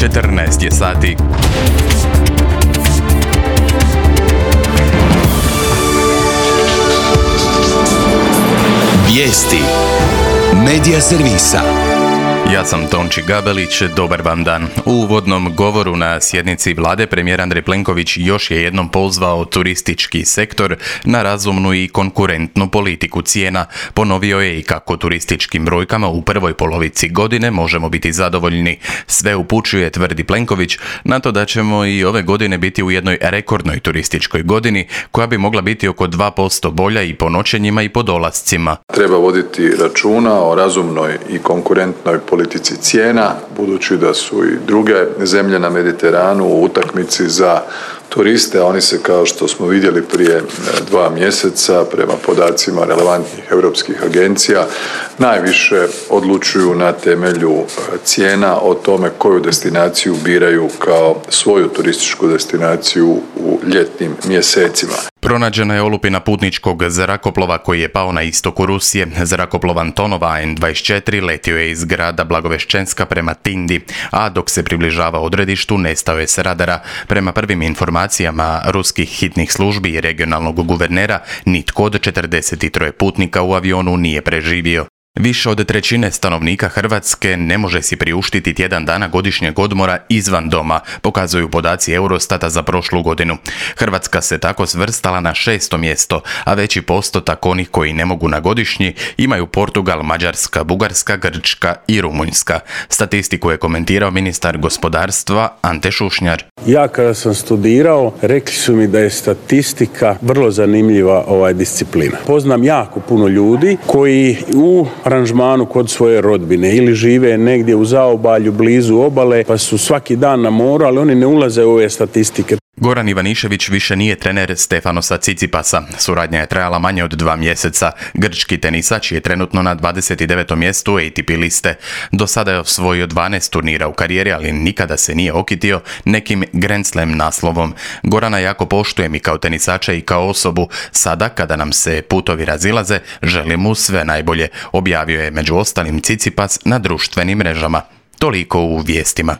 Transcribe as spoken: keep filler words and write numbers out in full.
četrnaest je sati. Vijesti Medija servisa. Ja sam Tonči Gabelić, dobar vam dan. U uvodnom govoru na sjednici vlade premijer Andrej Plenković još je jednom pozvao turistički sektor na razumnu i konkurentnu politiku cijena. Ponovio je i kako turističkim brojkama u prvoj polovici godine možemo biti zadovoljni. Sve upućuje, tvrdi Plenković, na to da ćemo i ove godine biti u jednoj rekordnoj turističkoj godini koja bi mogla biti oko dva posto bolja i po noćenjima i po dolascima. Treba voditi računa o razumnoj i konkurentnoj politici cijena, budući da su i druge zemlje na Mediteranu u utakmici za turiste, a oni se, kao što smo vidjeli prije dva mjeseca, prema podacima relevantnih europskih agencija, najviše odlučuju na temelju cijena o tome koju destinaciju biraju kao svoju turističku destinaciju u ljetnim mjesecima. Pronađena je olupina putničkog zrakoplova koji je pao na istoku Rusije. Zrakoplov Antonov A N dvadeset četiri letio je iz grada Blagoveščenska prema Tindi, a dok se približava odredištu nestao je s radara. Prema prvim informacijama ruskih hitnih službi i regionalnog guvernera, nitko od četrdeset tri putnika u avionu nije preživio. Više od trećine stanovnika Hrvatske ne može si priuštiti tjedan dana godišnjeg odmora izvan doma, pokazuju podaci Eurostata za prošlu godinu. Hrvatska se tako svrstala na šesto mjesto, a veći postotak onih koji ne mogu na godišnji imaju Portugal, Mađarska, Bugarska, Grčka i Rumunjska. Statistiku je komentirao ministar gospodarstva Ante Šušnjar. Ja kada sam studirao, rekli su mi da je statistika vrlo zanimljiva ovaj disciplina. Poznam jako puno ljudi koji u aranžmanu kod svoje rodbine ili žive negdje u zaobalju blizu obale pa su svaki dan na moru, ali oni ne ulaze u ove statistike. Goran Ivanišević više nije trener Stefanosa Tsitsipasa. Suradnja je trajala manje od dva mjeseca. Grčki tenisač je trenutno na dvadeset devetom mjestu A T P liste. Do sada je osvojio dvanaest turnira u karijeri, ali nikada se nije okitio nekim Grand Slam naslovom. Gorana jako poštujem i kao tenisača i kao osobu. Sada, kada nam se putovi razilaze, želim mu sve najbolje, objavio je među ostalim Tsitsipas na društvenim mrežama. Toliko u vijestima.